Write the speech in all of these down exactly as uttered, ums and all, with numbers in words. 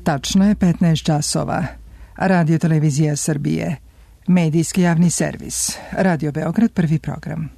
Tačno je petnaest časova. Radio Televizija Srbije. Medijski javni servis. Radio Beograd, prvi program.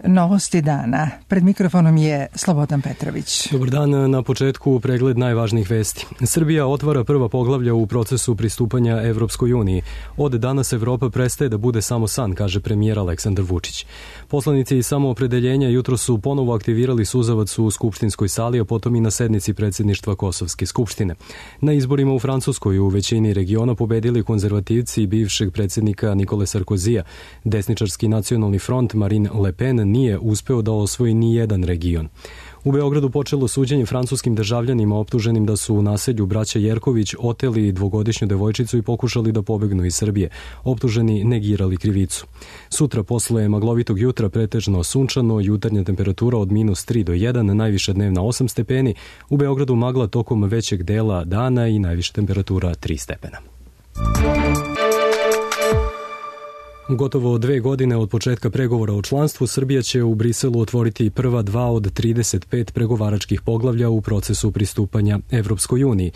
Novosti dana. Pred mikrofonom je Slobodan Petrović. Dobar dan, na početku pregled najvažnijih vesti. Srbija otvara prva poglavlja u procesu pristupanja Evropskoj uniji. Od danas Evropa prestaje da bude samo san, kaže premijer Aleksandar Vučić. Poslanici iz Samoopredeljenja jutro su ponovo aktivirali suzavac u skupštinskoj sali, a potom i na sednici predsjedništva Kosovske skupštine. Na izborima u Francuskoj u većini regiona pobedili konzervativci bivšeg predsjednika Nikole Sarkozija. Desničarski nacionalni front Marine Le Pen nije uspeo da osvoji ni jedan region. U Beogradu počelo suđenje francuskim državljanima optuženim da su u naselju braća Jerković oteli dvogodišnju devojčicu i pokušali da pobegnu iz Srbije. Optuženi negirali krivicu. Sutra posle maglovitog jutra pretežno sunčano, jutarnja temperatura od minus tri do jedan, najviša dnevna osam stepeni. U Beogradu magla tokom većeg dela dana i najviša temperatura tri stepena. Gotovo dve godine od početka pregovora o članstvu, Srbija će u Briselu otvoriti prva dva od trideset pet pregovaračkih poglavlja u procesu pristupanja Evropskoj uniji.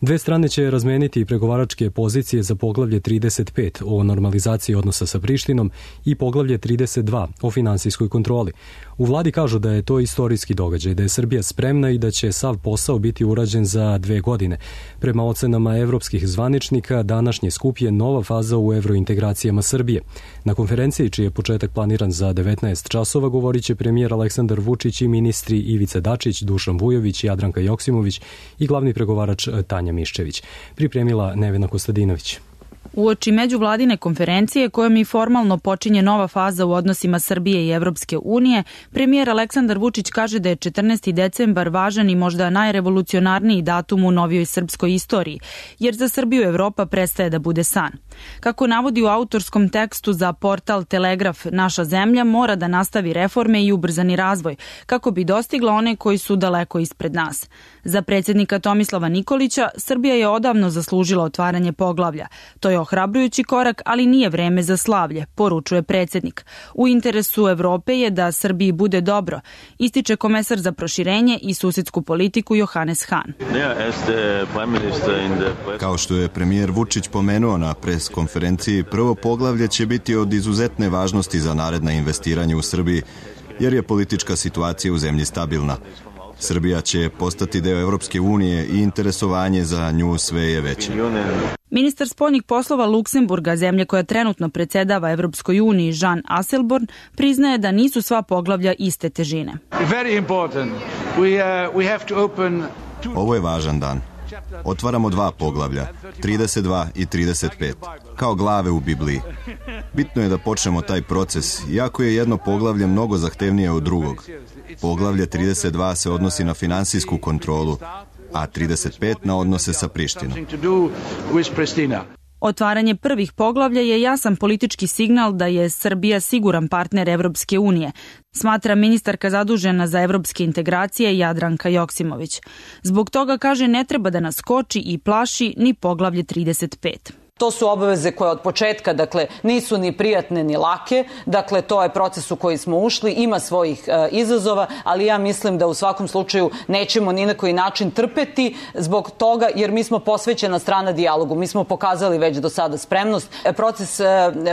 Dve strane će razmeniti pregovaračke pozicije za poglavlje trideset pet o normalizaciji odnosa sa Prištinom i poglavlje trideset dva o finansijskoj kontroli. U vladi kažu da je to istorijski događaj, da je Srbija spremna i da će sav posao biti urađen za dve godine. Prema ocenama evropskih zvaničnika, današnji skup je nova faza u evrointegracijama Srbije. Na konferenciji, čiji je početak planiran za devetnaest časova, govorit će premijer Aleksandar Vučić i ministri Ivica Dačić, Dušan Vujović, Jadranka Joksimović i glavni pregovarač Tanja Miščević. Pripremila Nevena Kostadinović. Uoči međuvladine konferencije kojom i formalno počinje nova faza u odnosima Srbije i Evropske unije, premijer Aleksandar Vučić kaže da je četrnaesti decembar važan i možda najrevolucionarniji datum u novijoj srpskoj istoriji, jer za Srbiju Evropa prestaje da bude san. Kako navodi u autorskom tekstu za portal Telegraf, naša zemlja mora da nastavi reforme i ubrzani razvoj, kako bi dostigla one koji su daleko ispred nas. Za predsjednika Tomislava Nikolića, Srbija je odavno zaslužila otvaranje poglavlja. To je ohrabrujući korak, ali nije vreme za slavlje, poručuje predsjednik. U interesu Evrope je da Srbiji bude dobro, ističe komesar za proširenje i susjedsku politiku Johannes Hahn. Kao što je premijer Vučić pomenuo na pres konferenciji, prvo poglavlje će biti od izuzetne važnosti za naredna investiranja u Srbiji, jer je politička situacija u zemlji stabilna. Srbija će postati deo Evropske unije i interesovanje za nju sve je veće. Ministar spoljnih poslova Luksemburga, zemlje koja trenutno predsjedava Evropskoj uniji, Jean Asselborn, priznaje da nisu sva poglavlja iste težine. Ovo je važan dan. Otvaramo dva poglavlja, trideset dva i trideset pet, kao glave u Bibliji. Bitno je da počnemo taj proces, iako je jedno poglavlje mnogo zahtevnije od drugog. Poglavlje trideset dva se odnosi na finansijsku kontrolu, a trideset pet na odnose sa Prištinom. Otvaranje prvih poglavlja je jasan politički signal da je Srbija siguran partner Evropske unije, smatra ministarka zadužena za evropske integracije Jadranka Joksimović. Zbog toga, kaže, ne treba da nas koči i plaši ni poglavlje trideset pet. To su obaveze koje od početka, dakle, nisu ni prijatne ni lake, dakle, to je proces u koji smo ušli, ima svojih e, izazova, ali ja mislim da u svakom slučaju nećemo ni na koji način trpeti zbog toga, jer mi smo posvećena strana dijalogu, mi smo pokazali već do sada spremnost. E, proces e,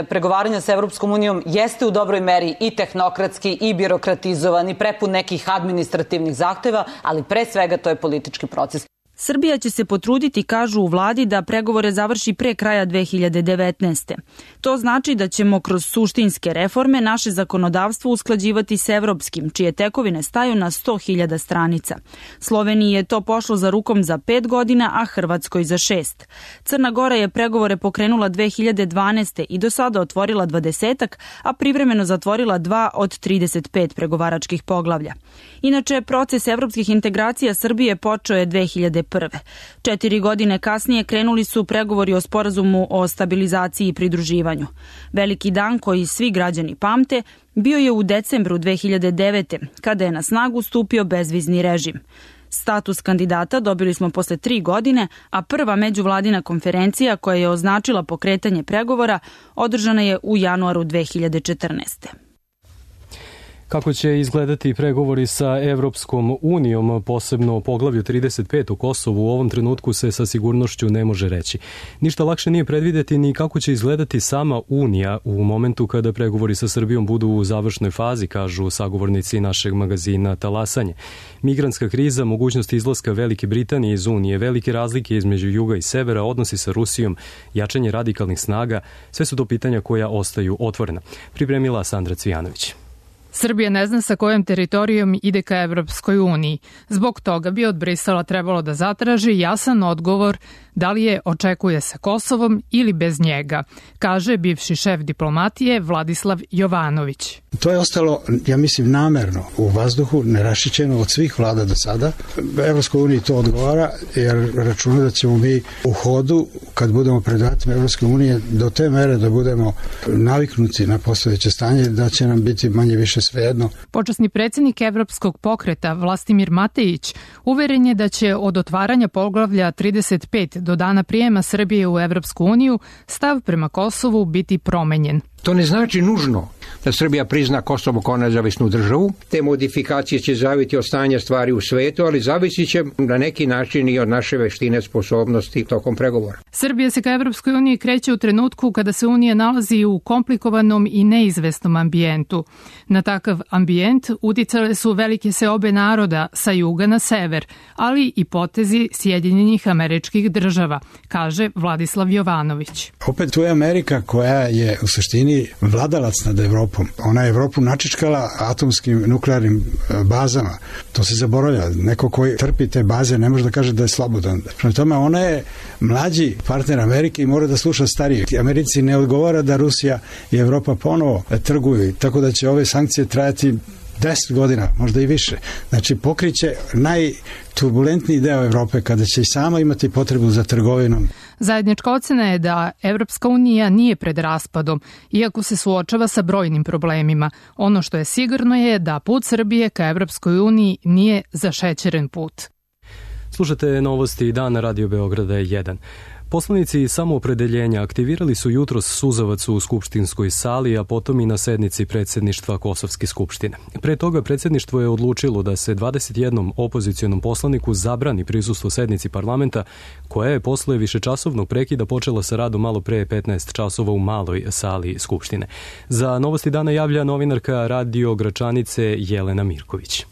pregovaranja sa Evropskom unijom jeste u dobroj meri i tehnokratski i birokratizovan i prepun nekih administrativnih zahteva, ali pre svega to je politički proces. Srbija će se potruditi, kažu u vladi, da pregovore završi pre kraja dve hiljade devetnaeste. To znači da ćemo kroz suštinske reforme naše zakonodavstvo usklađivati s evropskim, čije tekovine staju na sto hiljada stranica. Sloveniji je to pošlo za rukom za pet godina, a Hrvatskoj za šest. Crna Gora je pregovore pokrenula dve hiljade dvanaeste. i do sada otvorila dvadesetak, a privremeno zatvorila dva od trideset pet pregovaračkih poglavlja. Inače, proces evropskih integracija Srbije počeo je dve hiljade prve. Četiri godine kasnije krenuli su pregovori o sporazumu o stabilizaciji i pridruživanju. Veliki dan koji svi građani pamte bio je u decembru dve hiljade devete. kada je na snagu stupio bezvizni režim. Status kandidata dobili smo posle tri godine, a prva međuvladina konferencija koja je označila pokretanje pregovora održana je u januaru dve hiljade četrnaeste. Kako će izgledati pregovori sa Evropskom unijom, posebno o poglavlju trideset pet u Kosovu, u ovom trenutku se sa sigurnošću ne može reći. Ništa lakše nije predvideti ni kako će izgledati sama Unija u momentu kada pregovori sa Srbijom budu u završnoj fazi, kažu sagovornici našeg magazina Talasanje. Migrantska kriza, mogućnost izlaska Velike Britanije iz Unije, velike razlike između juga i severa, odnosi sa Rusijom, jačanje radikalnih snaga, sve su to pitanja koja ostaju otvorena. Pripremila Sandra Cvijanović. Srbija ne zna sa kojom teritorijom ide ka Evropskoj uniji. Zbog toga bi od Brisela trebalo da zatraži jasan odgovor da li je očekuje sa Kosovom ili bez njega, kaže bivši šef diplomatije Vladislav Jovanović. To je ostalo, ja mislim, namerno u vazduhu, nerašićeno od svih vlada do sada. Evropskoj uniji to odgovara, jer računa da ćemo mi u hodu, kad budemo pred vratima Evropske unije, do te mere da budemo naviknuti na postojeće stanje, da će nam biti manje više svejedno. Počasni predsjednik Evropskog pokreta Vlastimir Matejić uveren je da će od otvaranja poglavlja trideset pet do dana prijema Srbije u Evropsku uniju stav prema Kosovu biti promenjen. To ne znači nužno da Srbija prizna Kosovo kao nezavisnu državu. Te modifikacije će zavisiti od stanja stvari u svetu, ali zavisit će na neki način i od naše veštine, sposobnosti tokom pregovora. Srbija se ka Evropskoj uniji kreće u trenutku kada se Unija nalazi u komplikovanom i neizvesnom ambijentu. Na takav ambijent uticale su velike seobe naroda sa juga na sever, ali i potezi Sjedinjenih Američkih Država, kaže Vladislav Jovanović. Opet tu je Amerika koja je u suštini vladalac nad Evropom. Ona je Evropu načičkala atomskim nuklearnim bazama. To se zaboravlja. Neko koji trpi te baze ne može da kaže da je slobodan. Prema tome, ona je mlađi partner Amerike i mora da sluša stariji. Americi ne odgovara da Rusija i Evropa ponovo trguju, tako da će ove sankcije trajati deset godina, možda i više. Znači, pokriće najturbulentniji deo Evrope kada će i sama imati potrebu za trgovinom. Zajednička ocena je da Evropska unija nije pred raspadom, iako se suočava sa brojnim problemima. Ono što je sigurno je da put Srbije ka Evropskoj uniji nije zašećeren put. Slušate novosti dana Radio Beograda jedan. Poslanici samoopredeljenja aktivirali su jutros suzavac u skupštinskoj sali, a potom i na sednici predsjedništva Kosovske skupštine. Pre toga predsjedništvo je odlučilo da se dvadeset jednom opozicionom poslaniku zabrani prisustvo sednici parlamenta, koja je posle višečasovnog prekida počela sa radom malo pre petnaest časova u maloj sali skupštine. Za novosti dana javlja novinarka Radio Gračanice Jelena Mirković.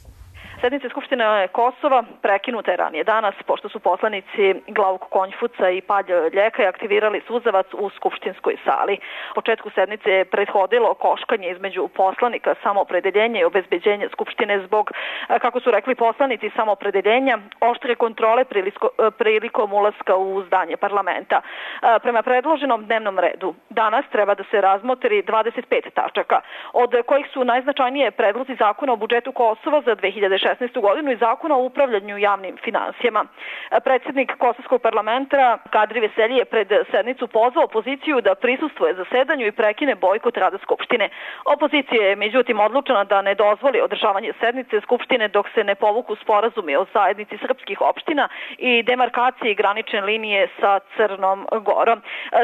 Sednica Skupštine Kosova prekinuta je ranije danas, pošto su poslanici Glavog Konjfuca i Palj Ljekaj aktivirali suzavac u skupštinskoj sali. Početku sednice je prethodilo koškanje između poslanika samoopredeljenja i obezbeđenja Skupštine zbog, kako su rekli poslanici samoopredeljenja, oštre kontrole prilikom ulaska u zdanje parlamenta. Prema predloženom dnevnom redu, danas treba da se razmotri dvadeset pet tačaka, od kojih su najznačajnije predlozi zakona o budžetu Kosova za dve hiljade šesnaestu godinu i zakona o upravljanju javnim finansijama. Predsjednik Kosovskog parlamenta Kadri Veselji je pred sednicu pozvao opoziciju da prisustvuje zasedanju i prekine bojkot rada Skupštine. Opozicija je međutim odlučena da ne dozvoli održavanje sednice Skupštine dok se ne povuku sporazumi o zajednici srpskih opština i demarkaciji granične linije sa Crnom Gorom.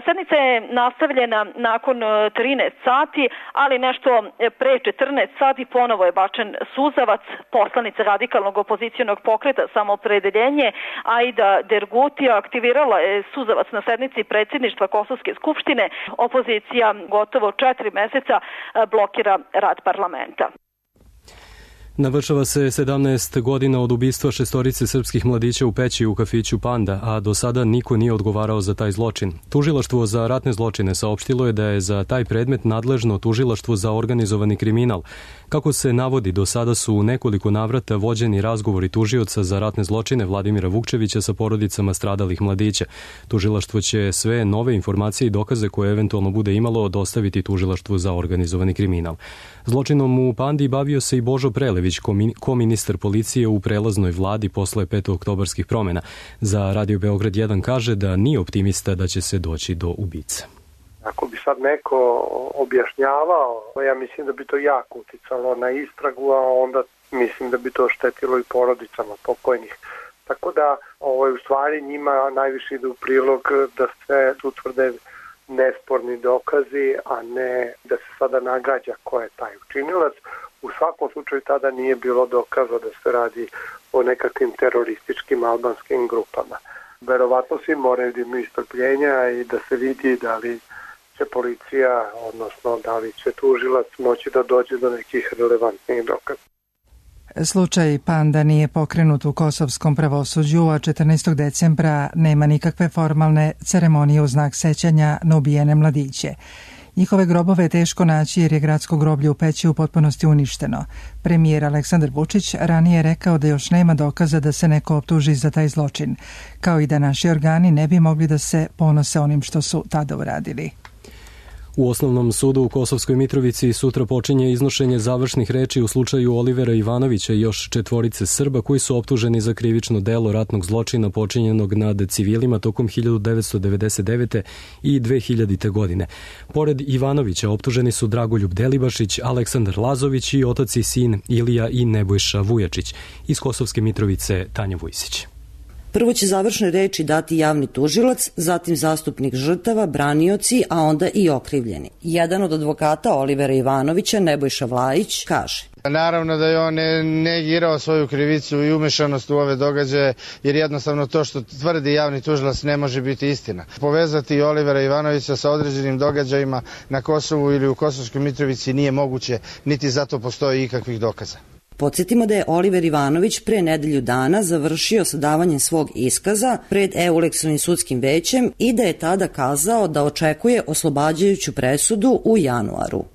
Sednica je nastavljena nakon trinaest sati, ali nešto pre četrnaest sati ponovo je bačen suzavac. Poslanica radikalnog opozicionog pokreta Samoopredeljenje Aida Dergutija aktivirala je suzavac na sednici predsjedništva Kosovske skupštine. Opozicija gotovo četiri meseca blokira rad parlamenta. Navršava se sedamnaest godina od ubistva šestorice srpskih mladića u Peći u kafiću Panda, a do sada niko nije odgovarao za taj zločin. Tužilaštvo za ratne zločine saopštilo je da je za taj predmet nadležno Tužilaštvo za organizovani kriminal. Kako se navodi, do sada su u nekoliko navrata vođeni razgovori tužioca za ratne zločine Vladimira Vukčevića sa porodicama stradalih mladića. Tužilaštvo će sve nove informacije i dokaze koje eventualno bude imalo dostaviti Tužilaštvu za organizovani kriminal. Zločinom u Pandi bavio se i Božo Prelević, koministar policije u prelaznoj vladi posle petooktobarskih promjena. Za Radio Beograd jedan kaže da nije optimista da će se doći do ubice. Ako bi sad neko objašnjavao, ja mislim da bi to jako uticalo na istragu, a onda mislim da bi to štetilo i porodicama pokojnih. Tako da ovo je u stvari njima najviše ide u prilog da sve utvrde nesporni dokazi, a ne da se sada nagađa ko je taj učinilac. U svakom slučaju tada nije bilo dokaza da se radi o nekakvim terorističkim albanskim grupama. Verovatno svi moraju da imaju strpljenja i da se vidi da li će policija, odnosno da li će tužilac moći da dođe do nekih relevantnih dokaza. Slučaj Panda nije pokrenut u kosovskom pravosuđu, a četrnaestog decembra nema nikakve formalne ceremonije u znak sećanja na ubijene mladiće. Njihove grobove je teško naći jer je gradsko groblje u Peći u potpunosti uništeno. Premijer Aleksandar Vučić ranije je rekao da još nema dokaza da se neko optuži za taj zločin, kao i da naši organi ne bi mogli da se ponose onim što su tada uradili. U Osnovnom sudu u Kosovskoj Mitrovici sutra počinje iznošenje završnih reči u slučaju Olivera Ivanovića i još četvorice Srba koji su optuženi za krivično delo ratnog zločina počinjenog nad civilima tokom hiljadu devetsto devedeset devete. i dve hiljadite. godine. Pored Ivanovića optuženi su Dragoljub Delibašić, Aleksandar Lazović i otac i sin Ilija i Nebojša Vujačić. Iz Kosovske Mitrovice Tanja Vujsić. Prvo će završne reči dati javni tužilac, zatim zastupnik žrtava, branioci, a onda i okrivljeni. Jedan od advokata Olivera Ivanovića, Nebojša Vlajić, kaže: Naravno da je on negirao svoju krivicu i umešanost u ove događaje, jer jednostavno to što tvrdi javni tužilac ne može biti istina. Povezati Olivera Ivanovića sa određenim događajima na Kosovu ili u Kosovskoj Mitrovici nije moguće, niti zato postoji ikakvih dokaza. Podsjetimo da je Oliver Ivanović pre nedelju dana završio sa davanjem svog iskaza pred Euleksonim sudskim većem i da je tada kazao da očekuje oslobađajuću presudu u januaru.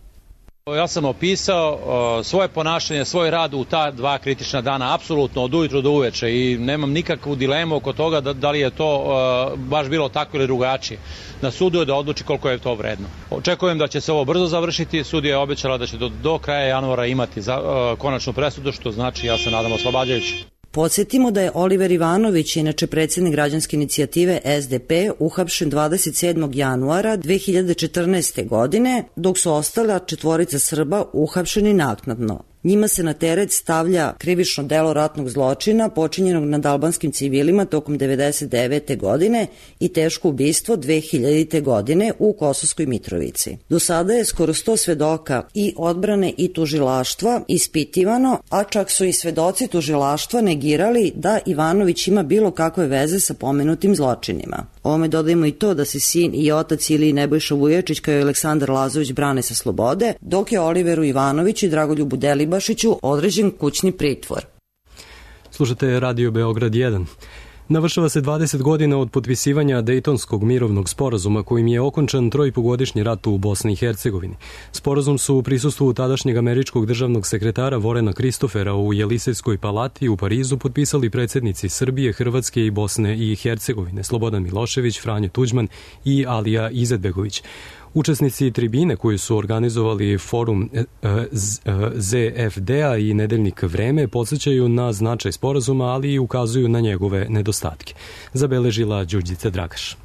Ja sam opisao uh, svoje ponašanje, svoj rad u ta dva kritična dana, apsolutno od ujutru do uveče, i nemam nikakvu dilemu oko toga da, da li je to uh, baš bilo tako ili drugačije. Na sudu je da odluči koliko je to vredno. Očekujem da će se ovo brzo završiti, sudija je obećala da će do, do kraja januara imati za, uh, konačnu presudu, što znači, ja se nadam, oslobađajući. Podsjetimo da je Oliver Ivanović, inače predsjednik građanske inicijative S D P, uhapšen dvadeset sedmog januara dve hiljade četrnaeste. godine, dok su ostala četvorica Srba uhapšeni naknadno. Njima se na teret stavlja krivično delo ratnog zločina počinjenog nad albanskim civilima tokom devedeset devete. godine i teško ubistvo dve hiljadite. godine u Kosovskoj Mitrovici. Do sada je skoro sto svedoka i odbrane i tužilaštva ispitivano, a čak su i svedoci tužilaštva negirali da Ivanović ima bilo kakve veze sa pomenutim zločinima. Ovome dodajemo i to da se sin i otac ili Nebojša Vujačić kao i Aleksandar Lazović brane sa slobode, dok je Oliveru Ivanoviću i Dragoljubu Delibašiću određen kućni pritvor. Slušate Radio Beograd jedan. Navršava se dvadeset godina od potpisivanja Dejtonskog mirovnog sporazuma kojim je okončan trojpogodišnji rat u Bosni i Hercegovini. Sporazum su u prisustvu tadašnjeg američkog državnog sekretara Vorena Kristofera u Jelisejskoj palati u Parizu potpisali predsjednici Srbije, Hrvatske i Bosne i Hercegovine, Slobodan Milošević, Franjo Tuđman i Alija Izetbegović. Učesnici tribine koji su organizovali forum Z F D-a i nedeljnik Vreme podsjećaju na značaj sporazuma, ali i ukazuju na njegove nedostatke. Zabeležila Đurđica Dragaš.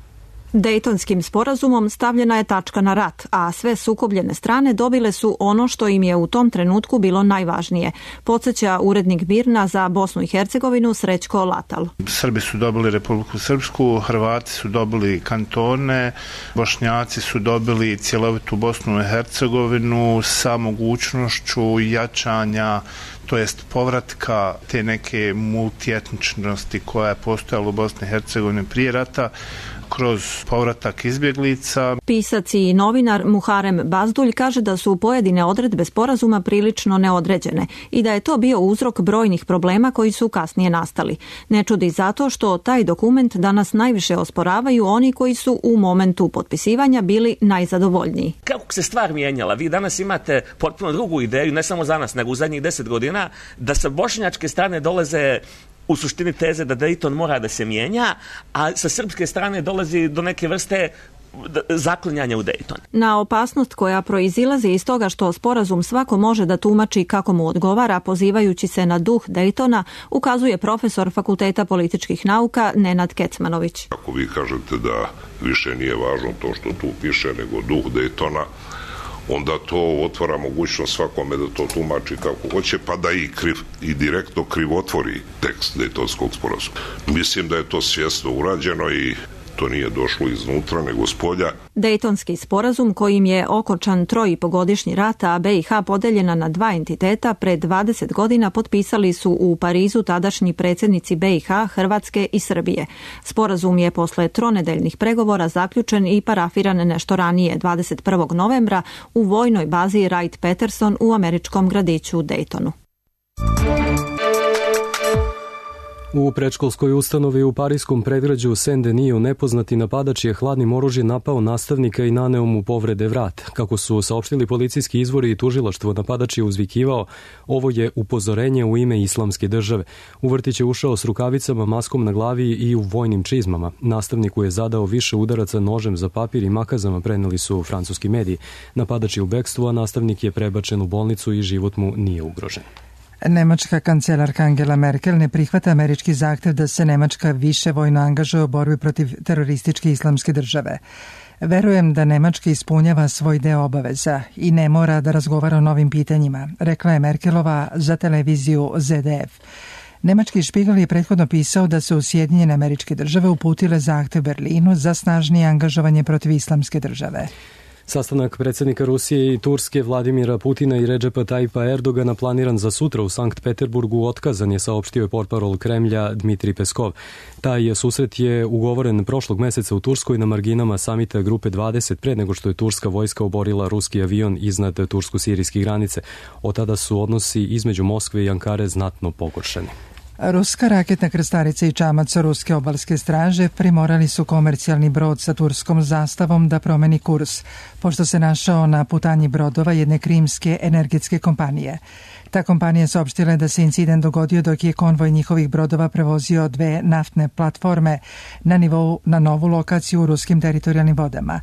Dejtonskim sporazumom stavljena je tačka na rat, a sve sukobljene strane dobile su ono što im je u tom trenutku bilo najvažnije, podsjeća urednik Birna za Bosnu i Hercegovinu Srećko Latal. Srbi su dobili Republiku Srpsku, Hrvati su dobili kantone, Bošnjaci su dobili cjelovitu Bosnu i Hercegovinu sa mogućnošću jačanja, to jest povratka te neke multietničnosti koja je postojala u Bosni i Hercegovini prije rata, kroz povratak izbjeglica. Pisac i novinar Muharem Bazdulj kaže da su pojedine odredbe sporazuma prilično neodređene i da je to bio uzrok brojnih problema koji su kasnije nastali. Ne čudi zato što taj dokument danas najviše osporavaju oni koji su u momentu potpisivanja bili najzadovoljniji. Kako se stvar mijenjala? Vi danas imate potpuno drugu ideju, ne samo za nas, nego u zadnjih deset godina, da sa bošnjačke strane dolaze u suštini teze da Dayton mora da se mijenja, a sa srpske strane dolazi do neke vrste zaklinjanja u Dayton. Na opasnost koja proizilazi iz toga što sporazum svako može da tumači kako mu odgovara, pozivajući se na duh Daytona, ukazuje profesor Fakulteta političkih nauka Nenad Kecmanović. Ako vi kažete da više nije važno to što tu piše, nego duh Daytona, onda to otvara mogućnost svakome da to tumači kako hoće, pa da i, kriv, i direktno krivotvori tekst Dejtonskog sporazuma. Mislim da je to svjesno urađeno i to to nije došlo iznutra, nego spolja. Dejtonski sporazum kojim je okončan trojipogodišnji rat, a B i H podeljena na dva entiteta, pre dvadeset godina potpisali su u Parizu tadašnji predsjednici B i H, Hrvatske i Srbije. Sporazum je posle tronedeljnih pregovora zaključen i parafiran nešto ranije, dvadeset prvog novembra, u vojnoj bazi Wright-Patterson u američkom gradiću Daytonu. U predškolskoj ustanovi u parijskom predgrađu Saint-Denis nepoznati napadač je hladnim oružjem napao nastavnika i naneo mu povrede vrat. Kako su saopštili policijski izvori i tužilaštvo, napadač je uzvikivao: "Ovo je upozorenje u ime islamske države." U vrtić je ušao s rukavicama, maskom na glavi i u vojnim čizmama. Nastavniku je zadao više udaraca nožem za papir i makazama, preneli su francuski mediji. Napadač je u bekstvu, a nastavnik je prebačen u bolnicu i život mu nije ugrožen. Nemačka kancelarka Angela Merkel ne prihvata američki zahtev da se Nemačka više vojno angažuje u borbi protiv terorističke islamske države. "Verujem da Nemačka ispunjava svoj deo obaveza i ne mora da razgovara o novim pitanjima", rekla je Merkelova za televiziju Z D F. Nemački Špigel je prethodno pisao da su Sjedinjene Američke Države uputile zahtev Berlinu za snažnije angažovanje protiv islamske države. Sastanak predsjednika Rusije i Turske Vladimira Putina i Redžepa Tajipa Erdogana planiran za sutra u Sankt Peterburgu otkazan je, saopštio je portparol Kremlja Dmitrij Peskov. Taj susret je ugovoren prošlog meseca u Turskoj na marginama samita Grupe dvadeset, pre nego što je turska vojska oborila ruski avion iznad tursko-sirijske granice. Od tada su odnosi između Moskve i Ankare znatno pogoršani. Ruska raketna krstarica i čamac ruske obalske straže primorali su komercijalni brod sa turskom zastavom da promeni kurs, pošto se našao na putanji brodova jedne krimske energetske kompanije. Ta kompanija saopštila je da se incident dogodio dok je konvoj njihovih brodova prevozio dve naftne platforme na nivou na novu lokaciju u ruskim teritorijalnim vodama.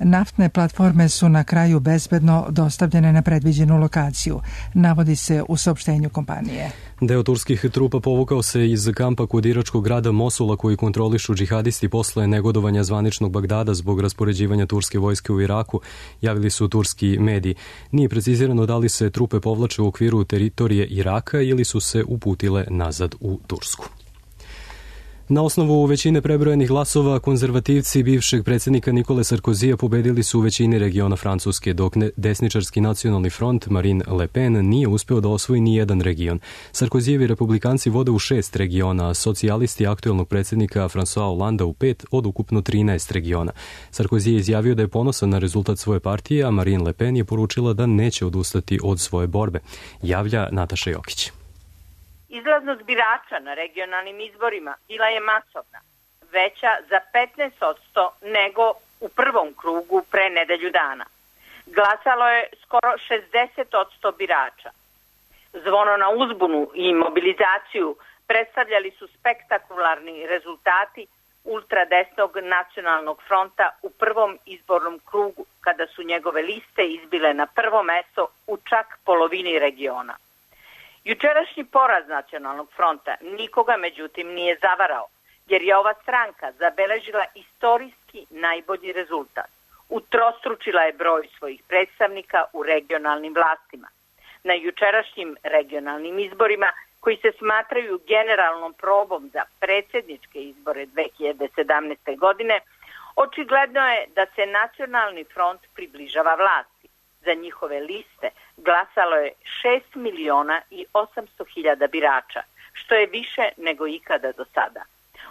Naftne platforme su na kraju bezbedno dostavljene na predviđenu lokaciju, navodi se u saopštenju kompanije. Deo turskih trupa povukao se iz kampa kod iračkog grada Mosula koji kontrolišu džihadisti posle negodovanja zvaničnog Bagdada zbog raspoređivanja turske vojske u Iraku, javili su turski mediji. Nije precizirano da li se trupe povlače u okviru teritorije Iraka ili su se uputile nazad u Tursku. Na osnovu većine prebrojenih glasova, konzervativci bivšeg predsjednika Nikole Sarkozija pobedili su u većini regiona Francuske, dok desničarski nacionalni front Marine Le Pen nije uspeo da osvoji ni jedan region. Sarkozijevi republikanci vode u šest regiona, a socijalisti aktuelnog predsjednika François Hollanda u pet od ukupno trinaest regiona. Sarkozy je izjavio da je ponosan na rezultat svoje partije, a Marine Le Pen je poručila da neće odustati od svoje borbe. Javlja Nataša Jokić. Izlaznost birača na regionalnim izborima bila je masovna, veća za petnaest posto nego u prvom krugu pre nedelju dana. Glasalo je skoro šezdeset posto birača. Zvono na uzbunu i mobilizaciju predstavljali su spektakularni rezultati ultradesnog nacionalnog fronta u prvom izbornom krugu, kada su njegove liste izbile na prvo mesto u čak polovini regiona. Jučerašnji poraz nacionalnog fronta nikoga međutim nije zavarao, jer je ova stranka zabeležila istorijski najbolji rezultat. Utrostručila je broj svojih predstavnika u regionalnim vlastima. Na jučerašnjim regionalnim izborima, koji se smatraju generalnom probom za predsjedničke izbore dve hiljade sedamnaeste. godine, očigledno je da se nacionalni front približava vlasti. Za njihove liste glasalo je šest miliona i osamsto hiljada birača, što je više nego ikada do sada.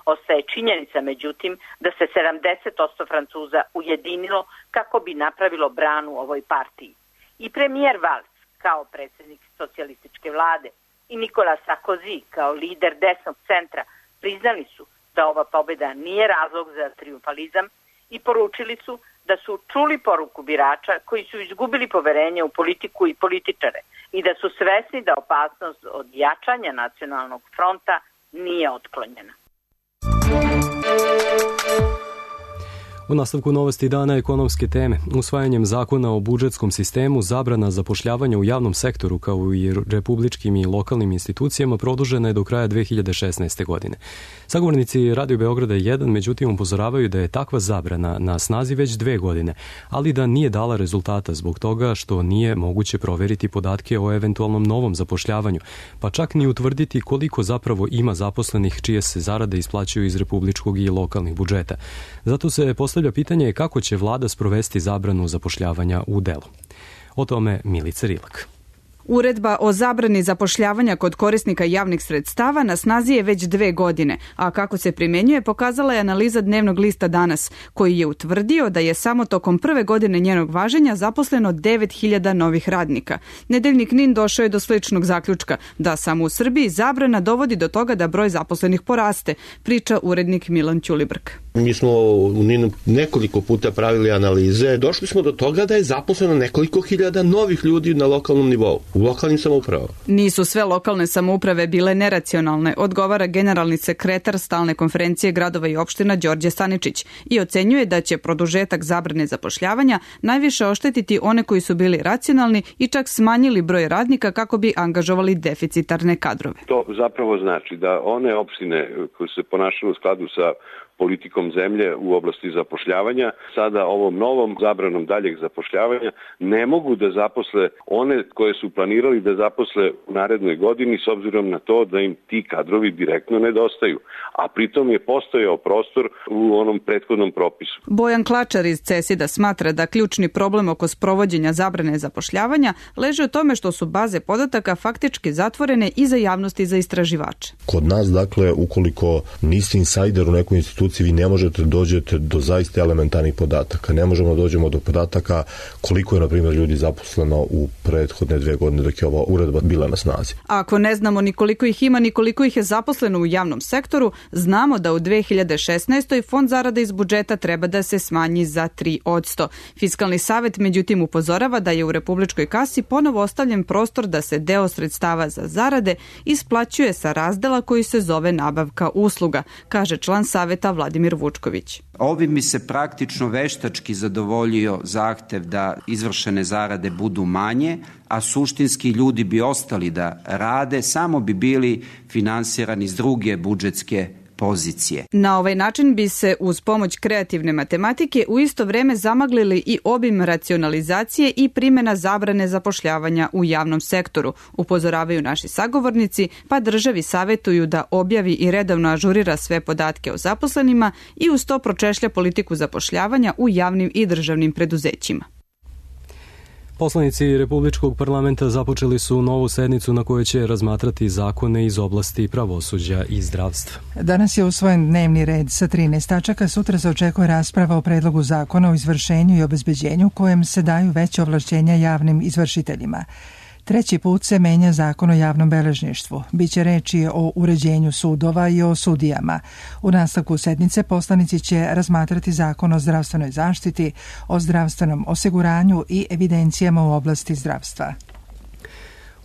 Ostaje činjenica, međutim, da se sedamdeset posto Francuza ujedinilo kako bi napravilo branu ovoj partiji. I premijer Valls, kao predsjednik socijalističke vlade, i Nicolas Sarkozy, kao lider desnog centra, priznali su da ova pobjeda nije razlog za trijumfalizam i poručili su da su čuli poruku birača koji su izgubili poverenje u politiku i političare i da su svesni da opasnost od jačanja nacionalnog fronta nije otklonjena. U nastavku novosti dana ekonomske teme, usvajanjem zakona o budžetskom sistemu, zabrana zapošljavanja u javnom sektoru kao i republičkim i lokalnim institucijama produžena je do kraja dve hiljade šesnaeste. godine. Sagovornici Radio Beograda jedan međutim upozoravaju da je takva zabrana na snazi već dve godine, ali da nije dala rezultata zbog toga što nije moguće proveriti podatke o eventualnom novom zapošljavanju, pa čak ni utvrditi koliko zapravo ima zaposlenih čije se zarade isplaćuju iz republičkog i lokalnih budžeta. Zato se postavlja pitanje kako će vlada sprovesti zabranu zapošljavanja u delo. O tome Milica Rilak. Uredba o zabrani zapošljavanja kod korisnika javnih sredstava na snazi je već dve godine, a kako se primenjuje pokazala je analiza dnevnog lista Danas, koji je utvrdio da je samo tokom prve godine njenog važenja zaposleno devet hiljada novih radnika. Nedeljnik Nin došao je do sličnog zaključka, da samo u Srbiji zabrana dovodi do toga da broj zaposlenih poraste, priča urednik Milan Ćulibrk. Mi smo u Ninu nekoliko puta pravili analize, došli smo do toga da je zaposleno nekoliko hiljada novih ljudi na lokalnom nivou. U lokalnim samoupravama. Nisu sve lokalne samouprave bile neracionalne, odgovara generalni sekretar Stalne konferencije gradova i opština Đorđe Staničić i ocenjuje da će produžetak zabrane zapošljavanja najviše oštetiti one koji su bili racionalni i čak smanjili broj radnika kako bi angažovali deficitarne kadrove. To zapravo znači da one opštine koje se ponašaju u skladu sa politikom zemlje u oblasti zapošljavanja, sada ovom novom zabranom daljeg zapošljavanja ne mogu da zaposle one koje su planirali da zaposle u narednoj godini s obzirom na to da im ti kadrovi direktno nedostaju, a pritom je postojao prostor u onom prethodnom propisu. Bojan Klačar iz Cesida smatra da ključni problem oko sprovođenja zabrane zapošljavanja leži u tome što su baze podataka faktički zatvorene i za javnost i za istraživače. Kod nas, dakle, ukoliko niste insajder u nekoj instituciji, vi ne možete dođete do zaista elementarnih podataka. Ne možemo da dođemo do podataka koliko je, na primjer, ljudi zaposleno u prethodne dve godine dok je ova uredba bila na snazi. Ako ne znamo ni koliko ih ima, ni koliko ih je zaposleno u javnom sektoru, znamo da u dve hiljade šesnaestoj. fond zarada iz budžeta treba da se smanji za tri posto. Fiskalni savet međutim upozorava da je u republičkoj kasi ponovo ostavljen prostor da se deo sredstava za zarade isplaćuje sa razdela koji se zove nabavka usluga, kaže član saveta Vladimir Vučković. Ovim bi se praktično veštački zadovoljio zahtev da izvršene zarade budu manje, a suštinski ljudi bi ostali da rade, samo bi bili finansirani iz druge budžetske pozicije. Na ovaj način bi se uz pomoć kreativne matematike u isto vreme zamaglili i obim racionalizacije i primjena zabrane zapošljavanja u javnom sektoru, upozoravaju naši sagovornici, pa državi savjetuju da objavi i redovno ažurira sve podatke o zaposlenima i uz to pročešlja politiku zapošljavanja u javnim i državnim preduzećima. Poslanici Republičkog parlamenta započeli su novu sednicu na kojoj će razmatrati zakone iz oblasti pravosuđa i zdravstva. Danas je usvojen dnevni red sa trinaest tačaka, sutra se očekuje rasprava o predlogu zakona o izvršenju i obezbeđenju kojem se daju veće ovlašćenja javnim izvršiteljima. Treći put se menja zakon o javnom beležništvu. Biće reči o uređenju sudova i o sudijama. U nastavku sednice poslanici će razmatrati zakon o zdravstvenoj zaštiti, o zdravstvenom osiguranju i evidencijama u oblasti zdravstva.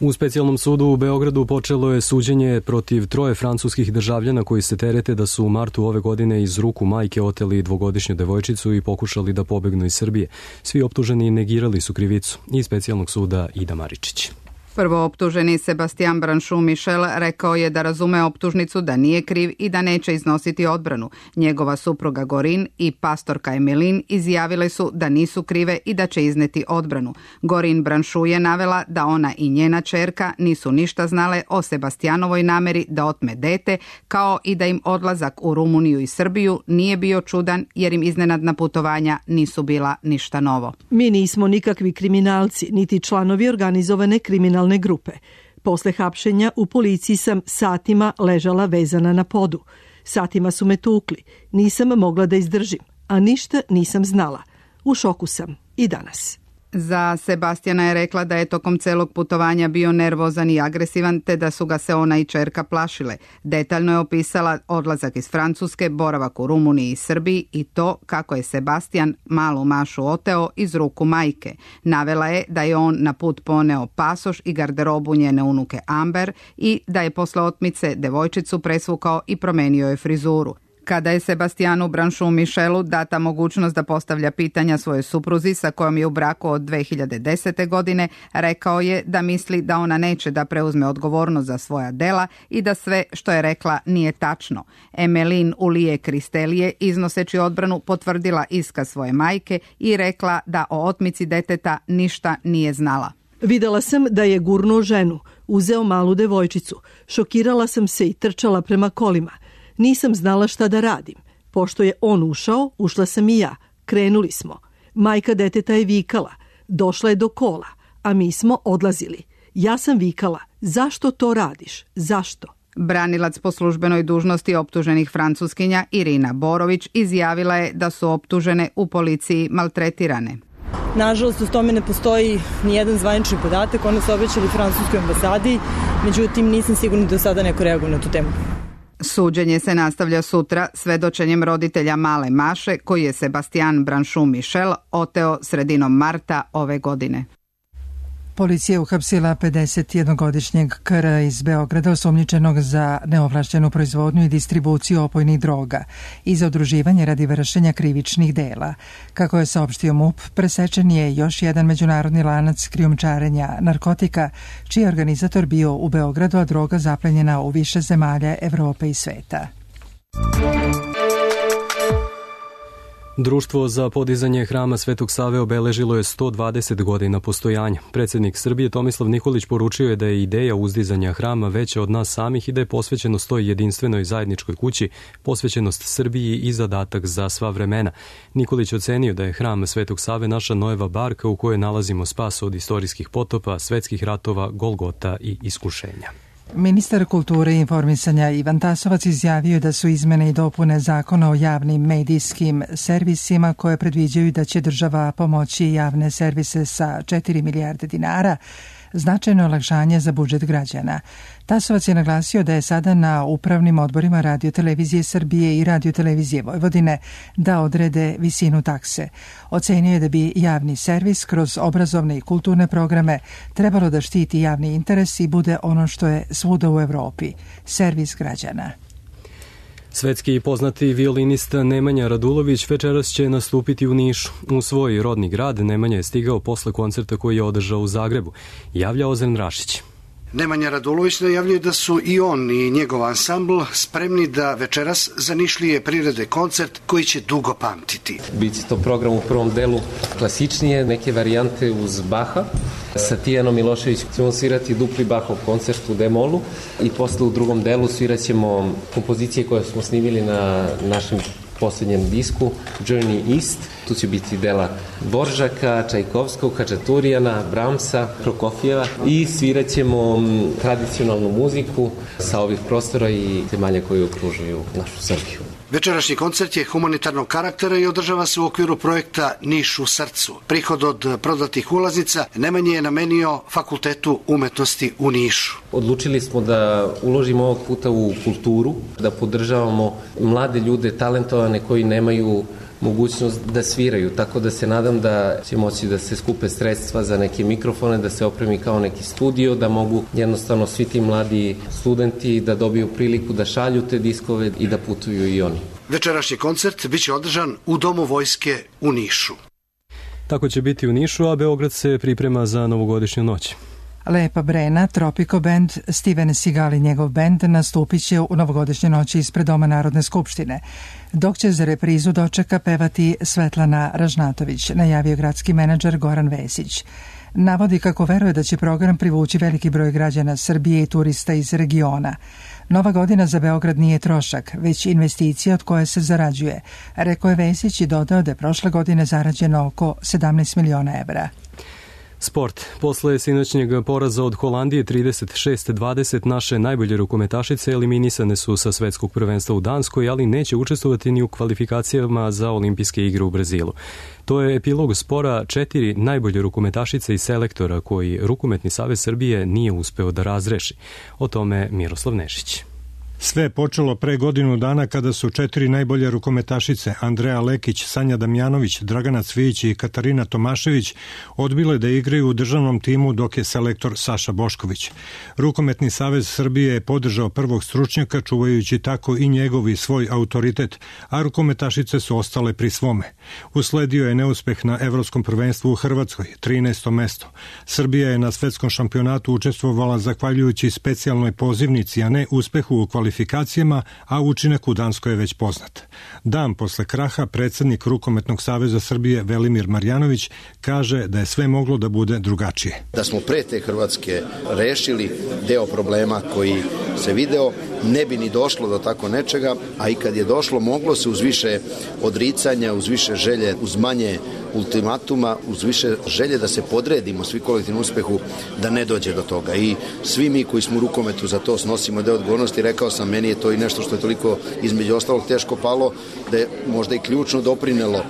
U specijalnom sudu u Beogradu počelo je suđenje protiv troje francuskih državljana koji se terete da su u martu ove godine iz ruku majke oteli dvogodišnju devojčicu i pokušali da pobegnu iz Srbije. Svi optuženi negirali su krivicu. Iz specijalnog suda Ida Maričić. Prvo optuženi Sebastian Branšu Michel rekao je da razume optužnicu, da nije kriv i da neće iznositi odbranu. Njegova supruga Gorin i pastorka Emelin izjavile su da nisu krive i da će izneti odbranu. Gorin Branšu je navela da ona i njena ćerka nisu ništa znale o Sebastianovoj nameri da otme dete, kao i da im odlazak u Rumuniju i Srbiju nije bio čudan jer im iznenadna putovanja nisu bila ništa novo. Mi nismo nikakvi kriminalci, niti članovi organizovane kriminalne grupe. Posle hapšenja u policiji sam satima ležala vezana na podu. Satima su me tukli. Nisam mogla da izdržim, a ništa nisam znala. U šoku sam i danas. Za Sebastijana je rekla da je tokom celog putovanja bio nervozan i agresivan, te da su ga se ona i ćerka plašile. Detaljno je opisala odlazak iz Francuske, boravak u Rumuniji i Srbiji i to kako je Sebastijan malu Mašu oteo iz ruku majke. Navela je da je on na put poneo pasoš i garderobu njene unuke Amber i da je posle otmice devojčicu presvukao i promenio je frizuru. Kada je Sebastijanu Branšu Mišelu data mogućnost da postavlja pitanja svojoj supruzi sa kojom je u braku od dve hiljade desete. godine, rekao je da misli da ona neće da preuzme odgovornost za svoja dela i da sve što je rekla nije tačno. Emelin Ulije Kristelije, iznoseći odbranu, potvrdila iskaz svoje majke i rekla da o otmici deteta ništa nije znala. Videla sam da je gurnuo ženu, uzeo malu devojčicu. Šokirala sam se i trčala prema kolima. Nisam znala šta da radim. Pošto je on ušao, ušla sam i ja. Krenuli smo. Majka deteta je vikala. Došla je do kola, a mi smo odlazili. Ja sam vikala, zašto to radiš? Zašto? Branilac po službenoj dužnosti optuženih Francuskinja Irina Borović izjavila je da su optužene u policiji maltretirane. Nažalost, u tome ne postoji ni jedan zvanični podatak. One su obećali francuskoj ambasadi, međutim nisam sigurna da do sada neko reaguje na tu temu. Suđenje se nastavlja sutra svedočenjem roditelja male Maše, koji je Sebastian Branšu Mišel oteo sredinom marta ove godine. Policija je uhapsila pedesetjednogodišnjeg K R iz Beograda osumnjičenog za neovlašćenu proizvodnju i distribuciju opojnih droga i za udruživanje radi vršenja krivičnih dela. Kako je saopštio M U P, presečen je još jedan međunarodni lanac krijumčarenja narkotika, čiji je organizator bio u Beogradu, a droga zaplenjena u više zemalja Evrope i sveta. Društvo za podizanje hrama Svetog Save obeležilo je sto dvadeset godina postojanja. Predsjednik Srbije Tomislav Nikolić poručio je da je ideja uzdizanja hrama veća od nas samih i da je posvećenost toj jedinstvenoj zajedničkoj kući, posvećenost Srbiji i zadatak za sva vremena. Nikolić ocenio da je hram Svetog Save naša nojeva barka u kojoj nalazimo spas od istorijskih potopa, svetskih ratova, golgota i iskušenja. Ministar kulture i informisanja Ivan Tasovac izjavio je da su izmene i dopune Zakona o javnim medijskim servisima koje predviđaju da će država pomoći javne servise sa četiri milijarde dinara značajno olakšanje za budžet građana. Tasovac je naglasio da je sada na upravnim odborima Radio-televizije Srbije i Radio-televizije Vojvodine da odrede visinu takse. Ocenio je da bi javni servis kroz obrazovne i kulturne programe trebalo da štiti javni interes i bude ono što je svuda u Evropi, servis građana. Svetski poznati violinist Nemanja Radulović večeras će nastupiti u Nišu. U svoj rodni grad Nemanja je stigao posle koncerta koji je održao u Zagrebu. Javlja Ozren Rašić. Nemanja Radulović najavljuje da su i on i njegov ansambl spremni da večeras za Nišlije prirede koncert koji će dugo pamtiti. Biće to program u prvom delu klasičnije, neke varijante uz Baha. Sa Tijanom Milošević ćemo svirati dupli Bahov koncert u D-molu i posle u drugom delu svirat ćemo kompozicije koje smo snimili na našem posljednjem disku Journey East. Tu će biti dela Boržaka, Čajkovskog, Hačaturijana, Bramsa, Prokofijeva i svirat ćemo tradicionalnu muziku sa ovih prostora i zemalja koji okružuju našu Srbiju. Večerašnji koncert je humanitarnog karaktera i održava se u okviru projekta Niš u srcu. Prihod od prodatih ulaznica Nemanje je namenio Fakultetu umetnosti u Nišu. Odlučili smo da uložimo ovog puta u kulturu, da podržavamo mlade ljude, talentovane koji nemaju mogućnost da sviraju, tako da se nadam da će moći da se skupe sredstva za neke mikrofone, da se opremi kao neki studio, da mogu jednostavno svi ti mladi studenti da dobiju priliku da šalju te diskove i da putuju i oni. Večerašnji koncert biće održan u Domu vojske u Nišu. Tako će biti u Nišu, a Beograd se priprema za novogodišnju noć. Lepa Brena, Tropico Band, Steven Seagal i njegov band nastupit će u novogodišnje noći ispred Doma Narodne skupštine, dok će za reprizu dočeka pevati Svetlana Ražnatović, najavio gradski menadžer Goran Vesić. Navodi kako veruje da će program privući veliki broj građana Srbije i turista iz regiona. Nova godina za Beograd nije trošak, već investicija od koje se zarađuje, rekao je Vesić i dodao da je prošle godine zarađeno oko sedamnaest miliona evra. Sport. Posle sinoćnjeg poraza od Holandije trideset šest dvadeset naše najbolje rukometašice eliminisane su sa svetskog prvenstva u Danskoj, ali neće učestvovati ni u kvalifikacijama za olimpijske igre u Brazilu. To je epilog spora četiri najbolje rukometašice i selektora koji Rukometni savez Srbije nije uspeo da razreši. O tome Miroslav Nešić. Sve je počelo pre godinu dana kada su četiri najbolje rukometašice, Andreja Lekić, Sanja Damjanović, Dragana Cvijić i Katarina Tomašević, odbile da igraju u državnom timu dok je selektor Saša Bošković. Rukometni savez Srbije je podržao prvog stručnjaka, čuvajući tako i njegov i svoj autoritet, a rukometašice su ostale pri svome. Usledio je neuspeh na Evropskom prvenstvu u Hrvatskoj, trinaesto mesto. Srbija je na svetskom šampionatu učestvovala zahvaljujući specijalnoj pozivnici, a ne uspehu u kvalifikacijama, a učinak u Danskoj je već poznat. Dan posle kraha predsjednik Rukometnog saveza Srbije Velimir Marjanović kaže da je sve moglo da bude drugačije. Da smo pre te Hrvatske rešili deo problema koji se video, ne bi ni došlo do tako nečega, a i kad je došlo, moglo se uz više odricanja, uz više želje, uz manje ultimatuma, uz više želje da se podredimo svi kolektivnom uspehu, da ne dođe do toga. I svi mi koji smo u rukometu za to snosimo deo odgovornosti. Rekao sam, meni je to i nešto što je toliko između ostalog teško palo, da je možda i ključno doprinelo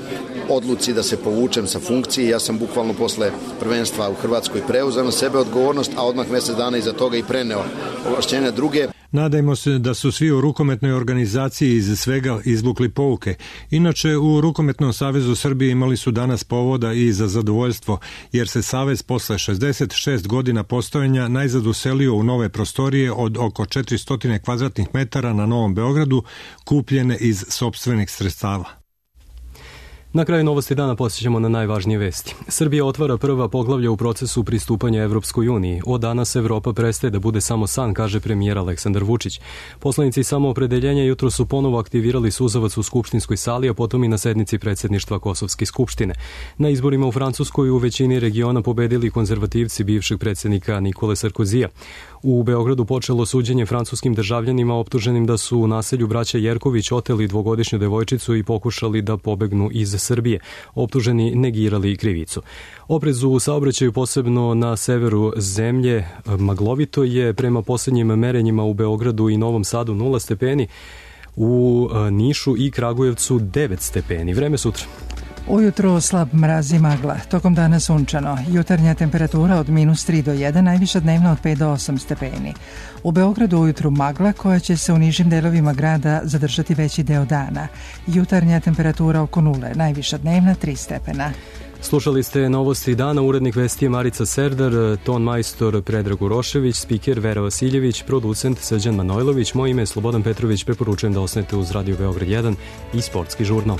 odluci da se povučem sa funkcije. Ja sam bukvalno posle prvenstva u Hrvatskoj preuzeo na sebe odgovornost, a odmah mesec dana iza toga i preneo ovlašćenja druge. Nadajmo se da su svi u rukometnoj organizaciji iz svega izvukli pouke. Inače, u Rukometnom savezu Srbije imali su danas povoda i za zadovoljstvo, jer se savez posle šezdeset šest godina postojanja najzad uselio u nove prostorije od oko četiristo kvadratnih metara na Novom Beogradu, kupljene iz sopstvenih sredstava. Na kraju novosti dana posjećamo na najvažnije vesti. Srbija otvara prva poglavlja u procesu pristupanja Evropskoj uniji. Od danas Evropa prestaje da bude samo san, kaže premijer Aleksandar Vučić. Poslanici Samoopredeljenja jutro su ponovo aktivirali suzavac u skupštinskoj sali, a potom i na sednici predsjedništva Kosovske skupštine. Na izborima u Francuskoj u većini regiona pobedili konzervativci bivšeg predsjednika Nikole Sarkozija. U Beogradu počelo suđenje francuskim državljanima optuženim da su u naselju braća Jerković oteli dvogodišnju devojčicu i pokušali da pobegnu iz Srbije. Optuženi negirali krivicu. Oprez u saobraćaju, posebno na severu zemlje, maglovito je. Prema posljednjim merenjima u Beogradu i Novom Sadu nula stepeni, u Nišu i Kragujevcu devet stepeni. Vreme sutra. Ujutro slab mraz i magla, tokom dana sunčano, jutarnja temperatura od minus tri do jedan, najviša dnevna od pet do osam stepeni. U Beogradu ujutru magla koja će se u nižim delovima grada zadržati veći deo dana. Jutarnja temperatura oko nule, najviša dnevna tri stepena. Slušali ste novosti dana, urednik vesti je Marica Serdar, ton majstor Predrag Urošević, spiker Vera Vasiljević, producent Srđan Manojlović, moje ime je Slobodan Petrović, preporučujem da ostanete uz Radio Beograd jedan i Sportski žurnal.